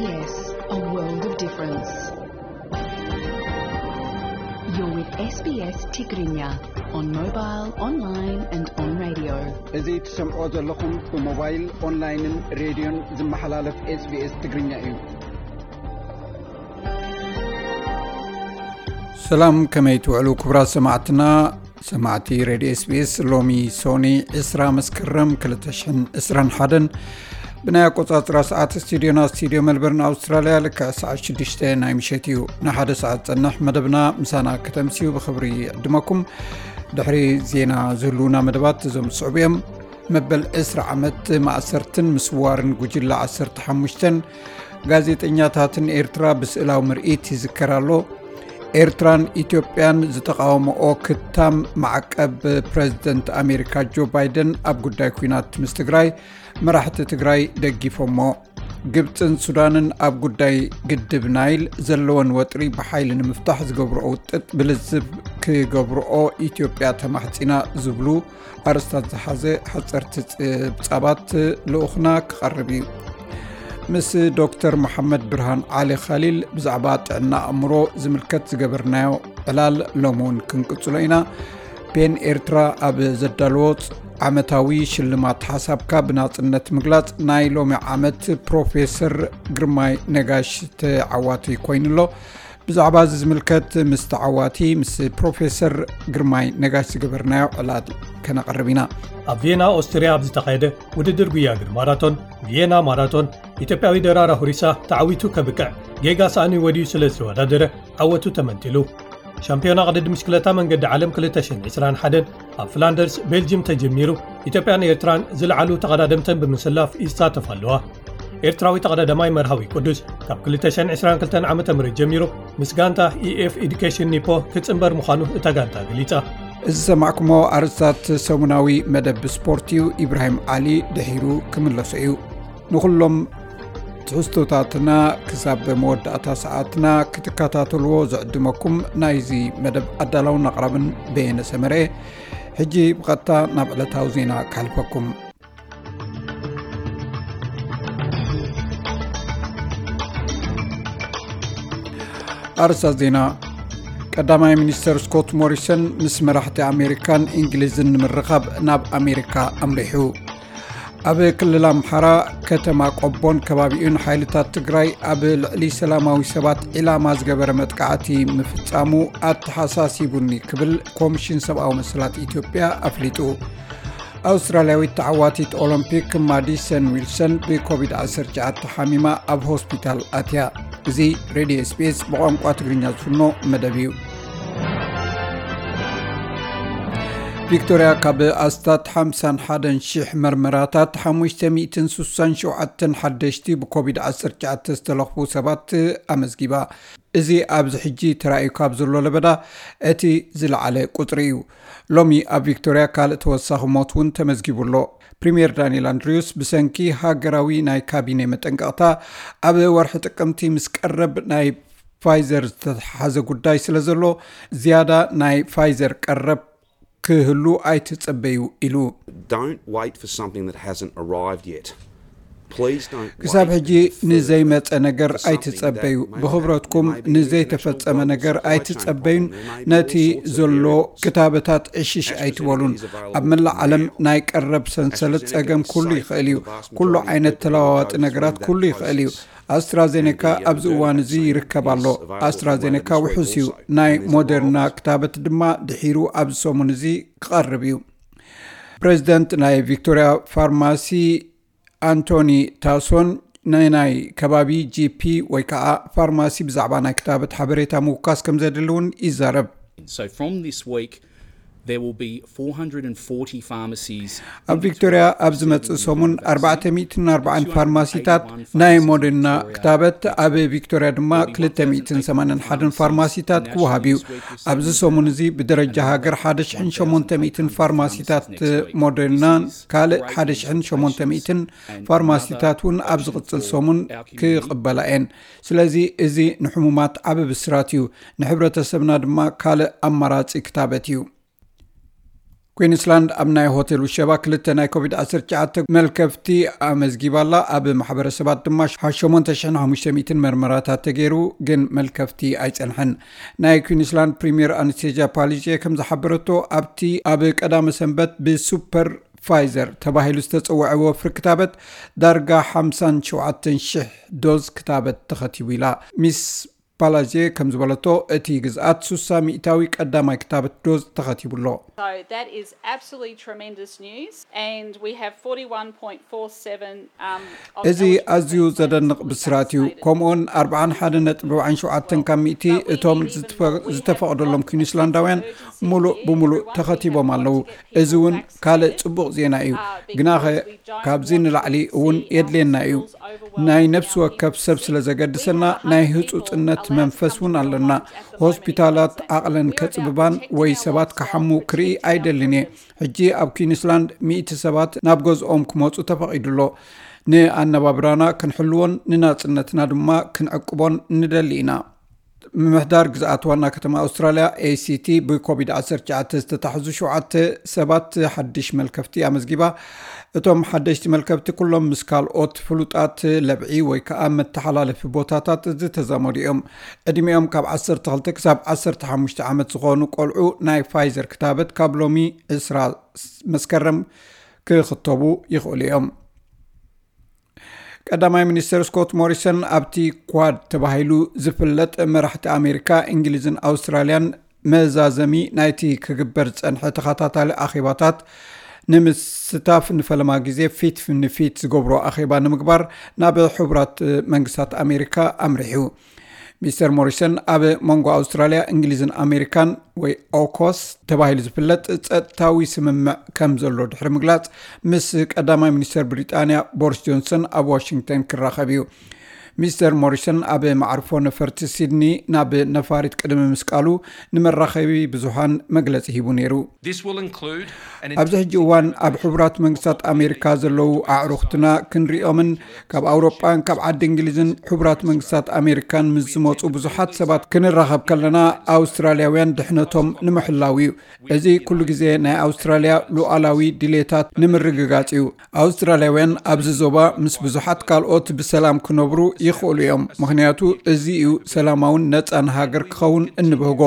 Yes, a world of difference. You're with S B S Tigrinya on mobile, online and on radio. እዚ ትሰምዖ ዘለኹም ብሞባይል፣ ኦንላይንን ሬድዮን ዝመሓላለፍ SBS ትግርኛ እዩ። ሰላም፣ ከመይ ትውዕሉ ክቡራት ሰማዕትና? ሰማዕቲ ሬድዮ SBS፣ ሎሚ ሶኒ ዕስራ መስከረም ክልተ ሽሕን ዕስራን ሓደን ብናይ ኣቆጻጽራ ሰዓት ስቱዲዮና ስቱዲዮ መልበርን ኣውስትራልያ ልክዕ ሰዓት ሽዱሽተ ናይ ምሸት እዩ። ንሓደ ሰዓት ጸንሕ መደብና ምሳና ከተምስዩ ብኽብሪ ይዕድመኩም። ድሕሪ ዜና ዝህልውና መደባት እዞም ዝስዕቡ እዮም። መበል ዕስራ ዓመት ማእሰርትን ምስዋርን ጉጅለ ዓሰርተ ሓሙሽተን ጋዜጠኛታትን ኤርትራ ብስእላዊ ምርኢት ይዝከር ኣሎ። ኤርትራን ኢትዮጵያን ዝተቓወመኦ ክታም ማዕቀብ ፕረዚደንት ኣሜሪካ ጆ ባይደን ኣብ ጉዳይ ኲናት ምስ ትግራይ፣ መራሕቲ ትግራይ ደጊፎሞ። ግብፅን ሱዳንን ኣብ ጉዳይ ግድብ ናይል ዘለወን ወጥሪ ብሓይሊ ንምፍታሕ ዝገብርኦ ውጥጥ ብልዝብ ክገብርኦ ኢትዮጵያ ተማሕፂና ዝብሉ ኣርእስታት ዝሓዘ ሓፀርቲ ጸብጻባት ልኡኽና ክቐርብ እዩ። ምስ ዶክተር መሓመድ ብርሃን ዓሊ ኻሊል ብዛዕባ ጥዕና ኣእምሮ ዝምልከት ዝገበርናዮ ዕላል ሎም እውን ክንቅጽሎ ኢና። ፔን ኤርትራ ኣብ ዘዳለዎ ዓመታዊ ሽልማት ሓሳብካ ብናጽነት ምግላጽ ናይ ሎሚ ዓመት ፕሮፌሰር ግርማይ ነጋሽ ተዓዋቲ ኮይኑሎ። ብዛዕባ እዚ ዝምልከት ምስ ተዓዋቲ፣ ምስ ፕሮፌሰር ግርማይ ነጋሽ ዝገበርናዮ ዕላል ከነቕርብ ኢና። ኣብ ቪየና ኦስትርያ ኣብ ዝተኻየደ ውድድር ጉያ እግሪ ማራቶን፣ ቪየና ማራቶን፣ ኢትዮጵያዊ ደራራ ሁሪሳ ተዓዊቱ ከብቅዕ ጌጋ ሳእኒ ወዲዩ ስለ ዝተወዳደረ ዓወቱ ተመንጢሉ። ሻምፒዮና ቅድድም ብሽክለታ መንገዲ ዓለም ክልተ ሽሕን ዕስራን ሓደን ኣብ ፍላንደርስ ቤልጅም ተጀሚሩ፣ ኢትዮጵያን ኤርትራን ዝለዓሉ ተቐዳደምተን ብምስላፍ ይሳተፋ ኣለዋ። ኤርትራዊ ተቐዳዳማይ መርሃዊ ቅዱስ ካብ ክልተ ሽሕን ዕስራን ክልተን ዓመተ ምህረት ጀሚሩ ምስ ጋንታ ኢኤፍ ኤዱኬሽን ኒፖ ክጽንበር ምዃኑ እታ ጋንታ ገሊጻ። እዚ ዝሰማዕኩሞ ኣርእስታት ሰሙናዊ መደብ ስፖርት እዩ። ኢብራሂም ዓሊ ድሒሩ ክምለሶ እዩ። ንኹሎም ትሕዝቶታትና ክሳብ መወዳእታ ሰዓትና ክትከታተልዎ ዝዕድመኩም ናይዚ መደብ ኣዳላውን ኣቕራብን በየነ ሰመረ። ሕጂ ብቐጥታ ናብ ዕለታዊ ዜና ከሕልፈኩም። ኣርእስታት ዜና። ቀዳማይ ሚኒስተር ስኮት ሞሪሰን ምስ መራሕቲ ኣሜሪካን እንግሊዝን ንምርኻብ ናብ ኣሜሪካ ኣምሪሑ። ኣብ ክልል ኣምሓራ ከተማ ቆቦን ከባቢኡን ሓይልታት ትግራይ ኣብ ልዕሊ ሰላማዊ ሰባት ዒላማ ዝገበረ መጥቃዕቲ ምፍጻሙ ኣተሓሳሲቡኒ ክብል ኮሚሽን ሰብኣዊ መሰላት ኢትዮጵያ ኣፍሊጡ። ኣውስትራልያዊት ተዓዋቲት ኦሎምፒክ ማዲሰን ዊልሰን ብኮቪድ ዓሰርተ ትሽዓተ ሓሚማ ኣብ ሆስፒታል ኣትያ። እዚ ሬድዮ SBS ብቋንቋ ትግርኛ ዝፍኖ መደብ እዩ። ቪክቶርያ ካብ ኣስታት ሓምሳን ሓደን ሽሕ መርመራታት ሓሙሽተ ሚእትን ስሳን ሸውዓተን ሓደሽቲ ብኮቪድ ዓሰርተ ትሽዓተ ዝተለኽፉ ሰባት ኣመዝጊባ። እዚ ኣብዚ ሕጂ ተራእዩ ካብ ዘሎ ለበዳ እቲ ዝለዓለ ቁጽሪ እዩ። ሎሚ ኣብ ቪክቶርያ ካልእ ተወሳኺ ሞት እውን ተመዝጊቡ ኣሎ። ፕሪምየር ዳንኤል ኣንድሪውስ ብሰንኪ ሃገራዊ ናይ ካቢኔ መጠንቀቕታ ኣብ ወርሒ ጥቅምቲ ምስ ቀረብ ናይ ፋይዘር ዝተተሓሓዘ ጉዳይ ስለ ዘሎ ዝያዳ ናይ ፋይዘር ቀረብ ክህሉ ኣይትጸበዩ ኢሉ። Don't wait for something that hasn't arrived yet. Please don't ክሳብ wait ሕጂ for- ንዘይመጸ ነገር for something ኣይትጸበዩ። that may have ብኽብረትኩም international ንዘይተፈጸመ global ነገር supply chain ኣይትጸበዩን። problem. There may be ነቲ all sorts of ዘሎ variables. ክታበታት ዕሽሽ ኣይትበሉን። ኣብ መላእ ዓለም ናይ ቀረብ ሰንሰለት ጸገም ኩሉ ይኽእል እዩ። ኩሉ ዓይነት ተለዋዋጢ ነገራት ኩሉ ይኽእል እዩ። ኣስትራዜኔካ ኣብዚ እዋን እዚ ይርከብ ኣሎ። ኣስትራዜኔካ ውሑስ እዩ። ናይ ሞደርና ክታበት ድማ ድሒሩ ኣብዚ ሰሙን እዚ ክቐርብ እዩ። ፕሬዚደንት ናይ ቪክቶርያ ፋርማሲ ኣንቶኒ ታሶን ንናይ ከባቢ ጂፒ ወይ ከዓ ፋርማሲ ብዛዕባ ናይ ክታበት ሓበሬታ ምውካስ ከም ዘድሊ እውን ይዛረብ። So from this week, there will be four hundred and forty pharmacies. ኣብ ቪክቶርያ ኣብ ዝመጽእ ሰሙን ኣርባዕተ ሚእትን ኣርባዓን ፋርማሲታት ናይ ሞደርና ክታበት፣ ኣብ ቪክቶርያ ድማ ክልተ ሚእትን ሰማንያን ሓደን ፋርማሲታት ክወሃብ እዩ። ኣብዚ ሰሙን እዚ ብደረጃ ሃገር ሓደ ሽሕን ሸሞንተ ሚእትን ፋርማሲታት ሞደርናን ካልእ ሓደ ሽሕን ሸሞንተ ሚእትን ፋርማሲታት እውን ኣብ ዝቕጽል ሰሙን ክቕበላ እየን። ስለዚ እዚ ንሕሙማት ዓቢ ብስራት እዩ። ንሕብረተሰብና ድማ ካልእ ኣማራጺ ክታበት እዩ። ኩዊንስላንድ ኣብ ናይ ሆቴል ውሸባ ክልተ ናይ ኮቪድ ዓሰርተ ትሽዓተ መልከፍቲ ኣመዝጊባላ። ኣብ ማሕበረሰባት ድማ ሓሸሞንተ ሽሕን ሓሙሽተ ሚእትን መርመራታት ተገይሩ፣ ግን መልከፍቲ ኣይጸንሐን። ናይ ኩዊንስላንድ ፕሪምየር ኣነስቴዝያ ፓሊዜ ከም ዝሓበረቶ፣ ኣብቲ ኣብ ቀዳመ ሰንበት ብሱፐር ፋይዘር ተባሂሉ ዝተጸውዐ ወፍሪ ክታበት ዳርጋ ሓምሳን ሸውዓተን ሽሕ ዶዝ ክታበት ተኸቲቡ ኢላ። ሚስ ፓላዜ ከም ዝበለቶ፣ እቲ ግዝኣት ሱሳ ሚእታዊ ቀዳማይ ክታበት ዶዝ ተኸቲቡ ኣሎ። So that is absolutely tremendous news, and we have forty-one point four seven. Um, of እዚ eligible ኣዝዩ transplant ዘደንቕ fully ብስራት እዩ። vaccinated. ከምኡውን ኣርባዓን ሓደን ነጥቢ ኣርባዓን ሸውዓተን ካብ ሚእቲ እቶም ዝተፈ- ዝተፈቕደሎም ኩዊንስላንዳውያን ሙሉእ ብሙሉእ ተኸቲቦም ኣለዉ። እዚ እውን ካልእ ጽቡቕ ዜና እዩ። ግናኸ ካብዚ ንላዕሊ እውን የድልየና እዩ። ናይ ነፍሲ ወከፍ ሰብ ስለ ዘገድሰና፣ ናይ ህጹጽነት መንፈስ እውን ኣለና። ሆስፒታላት ዓቕለን ከጽብባን ወይ ሰባት ክሓሙ ክርኢ ኣይደልን እየ። ሕጂ ኣብ ኩዊንስላንድ ሚእቲ ሰባት ናብ ገዝኦም ክመጹ ተፈቒዱ ኣሎ። ንኣነባብራና ክንሕልዎን ንናጽነትና ድማ ክንዕቅቦን ንደሊ ኢና። ምምሕዳር ግዝኣት ዋና ከተማ ኣውስትራልያ ኤሲቲ ብኮቪድ ዓሰርተ ትሽዓተ ዝተታሕዙ ሸውዓተ ሰባት ሓድሽ መልከፍቲ ኣመዝጊባ። እቶም ሓደሽቲ መልከፍቲ ኩሎም ምስ ካልኦት ፍሉጣት ለብዒ ወይ ከዓ መተሓላለፊ ቦታታት ዝተዛመዱ እዮም። ዕድሚኦም ካብ ዓሰርተ ክልተ ክሳብ ዓሰርተ ሓሙሽተ ዓመት ዝኾኑ ቆልዑ ናይ ፋይዘር ክታበት ካብ ሎሚ ዕስራ መስከረም ክኽተቡ ይኽእሉ እዮም። ቀዳማይ ሚኒስትር ስኮት ሞሪሰን ኣብቲ ኳድ ተባሂሉ ዝፍለጥ መራሕቲ ኣሜሪካ፣ እንግሊዝን ኣውስትራልያን መዛዘሚ ናይቲ ክግበር ዝጸንሐ ተኸታታሊ ኣኼባታት ንምስታፍ ንፈለማ ግዜ ፊት ንፊት ዝገብሮ ኣኼባ ንምግባር ናብ ሕቡራት መንግስታት ኣሜሪካ ኣምሪሑ። ሚስተር ሞሪሰን ኣብ መንጎ ኣውስትራልያ፣ እንግሊዝን ኣሜሪካን ወይ ኦኮስ ተባሂሉ ዝፍለጥ ጸጥታዊ ስምምዕ ከም ዘሎ ድሕሪ ምግላጽ፣ ምስ ቀዳማይ ሚኒስተር ብሪጣንያ ቦሪስ ጆንሰን ኣብ ዋሽንግተን ክራኸብ እዩ። ሚስተር ሞሪሰን ኣብ መዓርፎ ነፈርቲ ሲድኒ ናብ ነፋሪት ቅድሚ ምስቃሉ ንመራኸቢ ብዙሃን መግለጺ ሂቡ ነይሩ። This will include an ኣብዚ ሕጂ እዋን ኣብ ሕቡራት መንግስታት ኣሜሪካ ዘለዉ ኣዕሩኽትና ክንሪኦምን ካብ ኣውሮጳን ካብ ዓዲ እንግሊዝን ሕቡራት መንግስታት ኣሜሪካን ምስ ዝመፁ ብዙሓት ሰባት ክንራኸብ ከለና፣ ኣውስትራልያውያን ድሕነቶም ንምሕላው እዩ። እዚ ኩሉ ግዜ ናይ ኣውስትራልያ ሉዓላዊ ድሌታት ንምርግጋጽ እዩ። ኣውስትራልያውያን ኣብዚ ዞባ ምስ ብዙሓት ካልኦት ብሰላም ክነብሩ ይኽእሉ እዮም፣ ምኽንያቱ እዚ እዩ ሰላማውን ነጻን ሃገር ክኸውን እንብህጎ።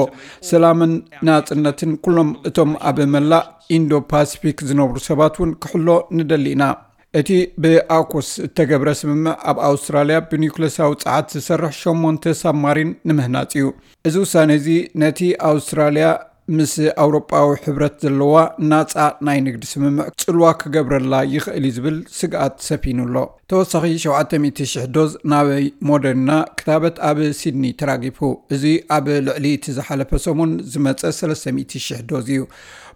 ሰላምን ናጽነትን ኩሎም እቶም ኣብ መላእ ኢንዶ ፓሲፊክ ዝነብሩ ሰባት እውን ክሕሎ ንደሊ ኢና። እቲ ብኣኮስ እተገብረ ስምምዕ ኣብ ኣውስትራልያ ብኒውክለሳዊ ጸዓት ዝሰርሕ ሸሞንተ ሳብማሪን ንምህናጽ እዩ። እዚ ውሳነ እዚ ነቲ ኣውስትራልያ ምስ ኣውሮጳዊ ሕብረት ዘለዋ ናጻ ናይ ንግዲ ስምምዕ ጽልዋ ክገብረላ ይኽእል እዩ ዝብል ስግኣት ሰፊኑ ኣሎ። ተወሳኺ ሸውዓተ ሚእቲ ሽሕ ዶዝ ናበይ ሞደርና ክታበት ኣብ ሲድኒ ተራጊፉ። እዚ ኣብ ልዕሊ እቲ ዝሓለፈ ሰሙን ዝመጸ ሰለስተ ሚእቲ ሽሕ ዶዝ እዩ።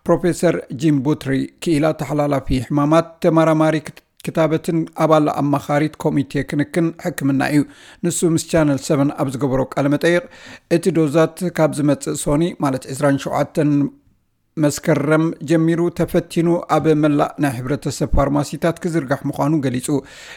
ፕሮፌሰር ጂም ቡትሪ፣ ክኢላ ተሓላላፊ ሕማማት ተመራማሪ ክታበትን ኣባል ኣማኻሪት ኮሚቴ ክንክን ሕክምና እዩ። ንሱ ምስ ቻነል ሰቨን ኣብ ዝገበሮ ቃለ መጠይቕ፣ እቲ ዶዛት ካብ ዝመጽእ ሶኒ፣ ማለት ዕስራን ሸውዓተን መስከረም ጀሚሩ ተፈቲኑ ኣብ መላእ ናይ ሕብረተሰብ ፋርማሲታት ክዝርጋሕ ምዃኑ ገሊጹ።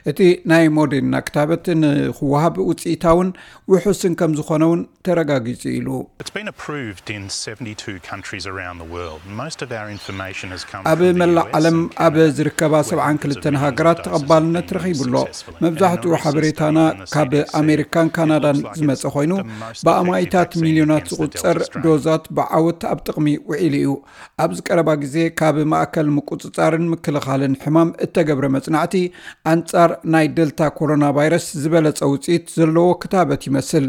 እቲ ናይ ሞዴርና ክታበት ንክወሃብ ውጽኢታውን ውሑስን ከም ዝኾነ እውን ተረጋጊጹ ኢሉ። It's been approved in seventy-two countries around the world. Most of our information has come ኣብ from the መላእ U S ዓለም and ኣብ Canada, ዝርከባ where ሰብዓን hundreds of ክልተን millions of ሃገራት doses have ተቐባልነት been used ረኺቡ ኣሎ። successfully. And in a መብዛሕትኡ recent ሓበሬታና study from the ካብ C D C, ኣሜሪካን it ካናዳን looks like ዝመጸ it's ኮይኑ፣ the most ብኣማኢታት effective vaccine ሚልዮናት against the Delta ዝቑጸር strain. ዶዛት ብዓወት ኣብ ጥቕሚ ውዒሉ እዩ። ኣብዚ ቀረባ ግዜ ካብ ማእከል ምቁጽጻርን ምክልኻልን ሕማም እተገብረ መጽናዕቲ፣ ኣንጻር ናይ ደልታ ኮሮና ቫይረስ ዝበለጸ ውጽኢት ዘለዎ ክታበት ይመስል።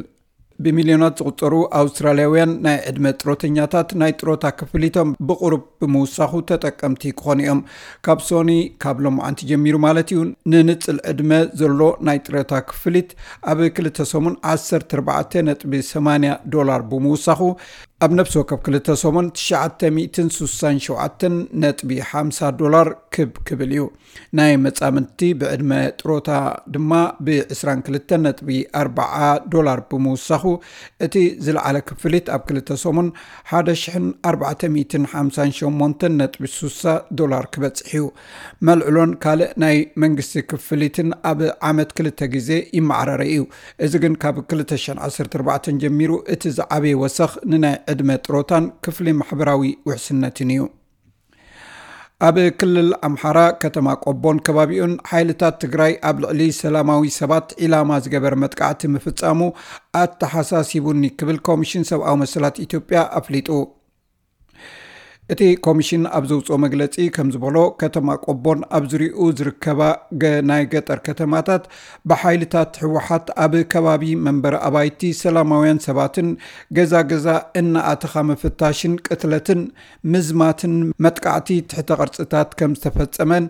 ብሚልዮናት ዝቑጸሩ ኣውስትራልያውያን ናይ ዕድመ ጥሮተኛታት ናይ ጥሮታ ክፍሊቶም ብቑሩብ ብምውሳኹ ተጠቀምቲ ክኾኑ እዮም። ካብ ሶኒ፣ ካብ ሎማዓንቲ ጀሚሩ ማለት እዩ፣ ንንጽል ዕድመ ዘሎ ናይ ጥሮታ ክፍሊት ኣብ ክልተ ሰሙን ዓሰርተ ኣርባዕተ ነጥቢ ሰማንያ ዶላር ብምውሳኹ፣ ኣብ ነፍሲ ወከፍ ክልተ ሰሙን ትሽዓተ ሚእትን ስሳን ሸውዓተን ነጥቢ ሓምሳ ዶላር ክብ ክብል እዩ። ናይ መጻምድቲ ብዕድመ ጥሮታ ድማ ብ ዕስራን ክልተን ነጥቢ ኣርባዓ ዶላር ብምውሳኹ፣ እቲ ዝለዓለ ክፍሊት ኣብ ክልተ ሰሙን ሓደ ሽሕን ኣርባዕተ ሚእትን ሓምሳን ሸሞንተን ነጥቢ ስሳ ዶላር ክበጽሕ እዩ። መልዕሎን ካልእ ናይ መንግስቲ ክፍሊትን ኣብ ዓመት ክልተ ግዜ ይመዓራረ እዩ። እዚ ግን ካብ ክልተ ሽሕን ዓሰርተ ኣርባዕተን ጀሚሩ እቲ ዝዓበየ ወሰኽ ንናይ ዕድመ ጥሮታን ክፍሊ ማሕበራዊ ውሕስነትን እዩ። ኣብ ክልል ኣምሓራ ከተማ ቆቦን ከባቢኡን ሓይልታት ትግራይ ኣብ ልዕሊ ሰላማዊ ሰባት ዒላማ ዝገበረ መጥቃዕቲ ምፍጻሙ ኣተሓሳሲቡኒ ክብል ኮሚሽን ሰብኣዊ መሰላት ኢትዮጵያ ኣፍሊጡ። እቲ ኮሚሽን ኣብ ዘውፅኦ መግለፂ ከም ዝበሎ፣ ከተማ ቆቦን ኣብ ዙሪኡ ዝርከባ ገ-፣ ናይ ገጠር ከተማታት ብሓይልታት ህወሓት ኣብ ከባቢ መንበሪ ኣባይቲ ሰላማውያን ሰባትን ገዛ ገዛ እናኣተኻ ምፍታሽን ቅትለትን ምዝማትን መጥቃዕቲ ትሕተ ቅርፅታት ከም ዝተፈጸመን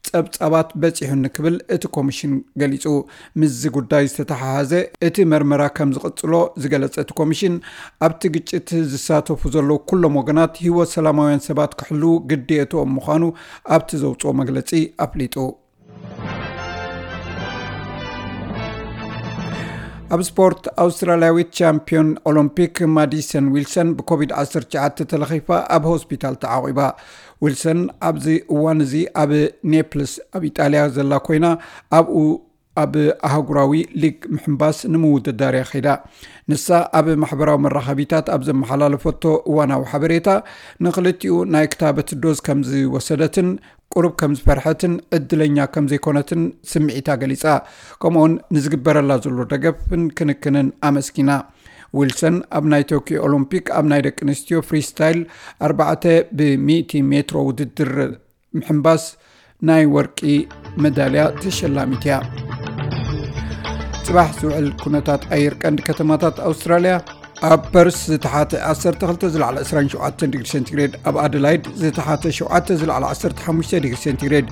ጸብጻባት በጺሑኒ ክብል እቲ ኮሚሽን ገሊጹ። ምስዚ ጉዳይ ዝተተሓሓዘ እቲ መርመራ ከም ዝቕጽሎ ዝገለጸ እቲ ኮሚሽን፣ ኣብቲ ግጭት ዝሳተፉ ዘለዉ ኩሎም ወገናት ህይወት ሰላማውያን ሰባት ክሕልዉ ግዴትኦም ምዃኑ ኣብቲ ዘውጽኦ መግለጺ ኣፍሊጡ። ኣብ ስፖርት፣ ኣውስትራልያዊት ቻምፒዮን ኦሎምፒክ ማዲሰን ዊልሰን ብኮቪድ ዓሰርተ ትሽዓተ ተለኺፋ ኣብ ሆስፒታል ተዓቒባ። ዊልሰን ኣብዚ እዋን እዚ ኣብ ኔፕልስ ኣብ ኢጣልያ ዘላ ኮይና፣ ኣብኡ ኣብ ኣህጉራዊ ሊግ ምሕንባስ ንምውድዳር እያ ከይዳ። ንሳ ኣብ ማሕበራዊ መራኸቢታት ኣብ ዘመሓላለፈቶ እዋናዊ ሓበሬታ፣ ንክልቲኡ ናይ ክታበት ዶዝ ከም ዝወሰደትን ቁሩብ ከም ዝፈርሐትን ዕድለኛ ከም ዘይኮነትን ስምዒታ ገሊጻ። ከምኡውን ንዝግበረላ ዘሎ ደገፍን ክንክንን ኣመስጊና። ዊልሰን ኣብ ናይ ቶኪዮ ኦሎምፒክ ኣብ ናይ ደቂ ኣንስትዮ ፍሪስታይል ኣርባዕተ ብሚእቲ ሜትሮ ውድድር ምሕንባስ ናይ ወርቂ መዳልያ ተሸላሚት እያ። ጽባሕ ዝውዕል ኩነታት ኣየር ቀንዲ ከተማታት ኣውስትራልያ። ኣብ ፐርስ ዝተሓተ ዓሰርተ ክልተ ዝለዓለ ዕስራን ሸውዓተን ዲግሪ ሴንቲግሬድ፣ ኣብ ኣደላይድ ዝተሓተ ሸውዓተ ዝለዓለ ዓሰርተ ሓሙሽተ ዲግሪ ሴንቲግሬድ፣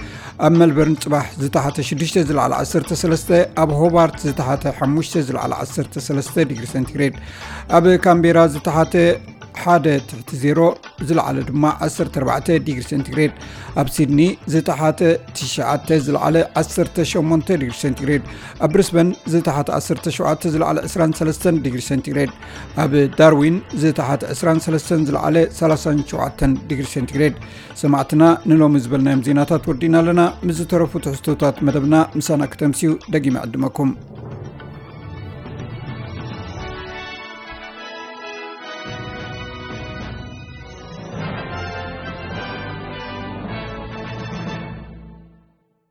ኣብ ሜልበርን ጽባሕ ዝተሓተ ሽዱሽተ ዝለዓለ ዓሰርተ ሰለስተ፣ ኣብ ሆባርት ዝተሓተ ሓሙሽተ ዝለዓለ ዓሰርተ ሰለስተ ዲግሪ ሴንቲግሬድ፣ ኣብ ካምቤራ ዝተሓተ ሓደ ትሕቲ ዜሮ፣ ዝለዓለ ድማ ዓሰርተ ኣርባዕተ ዲግሪ ሴንቲግሬድ፣ ኣብ ሲድኒ ዝተሓተ ትሽዓተ ዝለዓለ ዓሰርተ ሸሞንተ ዲግሪ ሴንቲግሬድ፣ ኣብ ብሪስበን ዝተሓተ ዓሰርተ ሸውዓተ ዝለዓለ ዕስራን ሰለስተን ዲግሪ ሴንቲግሬድ፣ ኣብ ዳርዊን ዝተሓተ ዕስራን ሰለስተን ዝለዓለ ሰላሳን ሸውዓተን ዲግሪ ሴንቲግሬድ። ሰማዕትና፣ ንሎሚ ዝበልናዮም ዜናታት ወዲና ኣለና። ምስ ዝተረፉ ትሕዝቶታት መደብና ምሳና ክተምስዩ ደጊመ ዕድመኩም።